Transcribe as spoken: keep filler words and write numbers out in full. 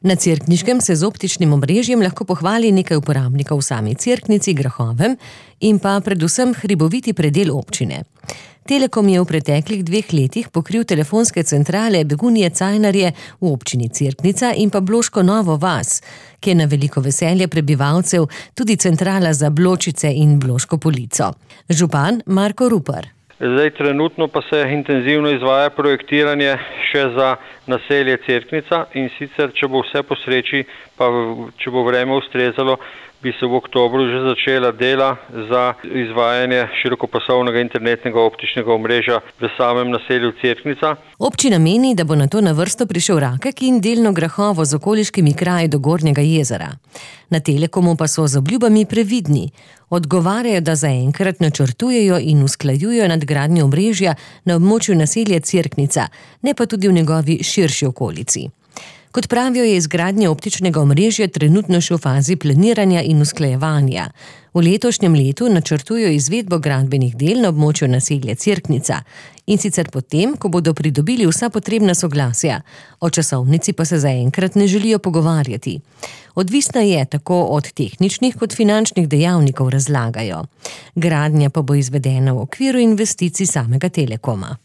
Na Cerkniškem se z optičnim omrežjem lahko pohvali nekaj uporabnikov v sami Cerknici, Grahovem in pa predvsem hriboviti predel občine. Telekom je v preteklih dveh letih pokril telefonske centrale Begunje Cajnarje v občini Cerknica in pa Bloško Novo vas, ki je na veliko veselje prebivalcev tudi centrala za Bločice in Bloško Polico. Župan Marko Rupar. Zdaj trenutno pa se intenzivno izvaja projektiranje še za naselje Cerknica in sicer, če bo vse po sreči, pa če bo vreme ustrezalo, bi se v oktobru že začela dela za izvajanje širokopasovnega internetnega optičnega omrežja v samem naselju Cerknica. Občina meni, da bo na to na vrsto prišel Rakek in delno Grahovo z okoliškimi kraji do Gornjega jezera. Na Telekomu pa so z obljubami previdni. Odgovarjajo, da zaenkrat načrtujejo in usklajujejo nadgradnjo omrežja na območju naselja Cerknica, ne pa tudi v njegovi širši okolici. Kot pravijo, je izgradnja optičnega omrežja trenutno še v fazi planiranja in usklajevanja. V letošnjem letu načrtujejo izvedbo gradbenih del na območju naselja Cerknica in sicer potem, ko bodo pridobili vsa potrebna soglasja. O časovnici pa se zaenkrat ne želijo pogovarjati. Odvisna je tako od tehničnih kot finančnih dejavnikov, razlagajo. Gradnja pa bo izvedena v okviru investicij samega Telekoma.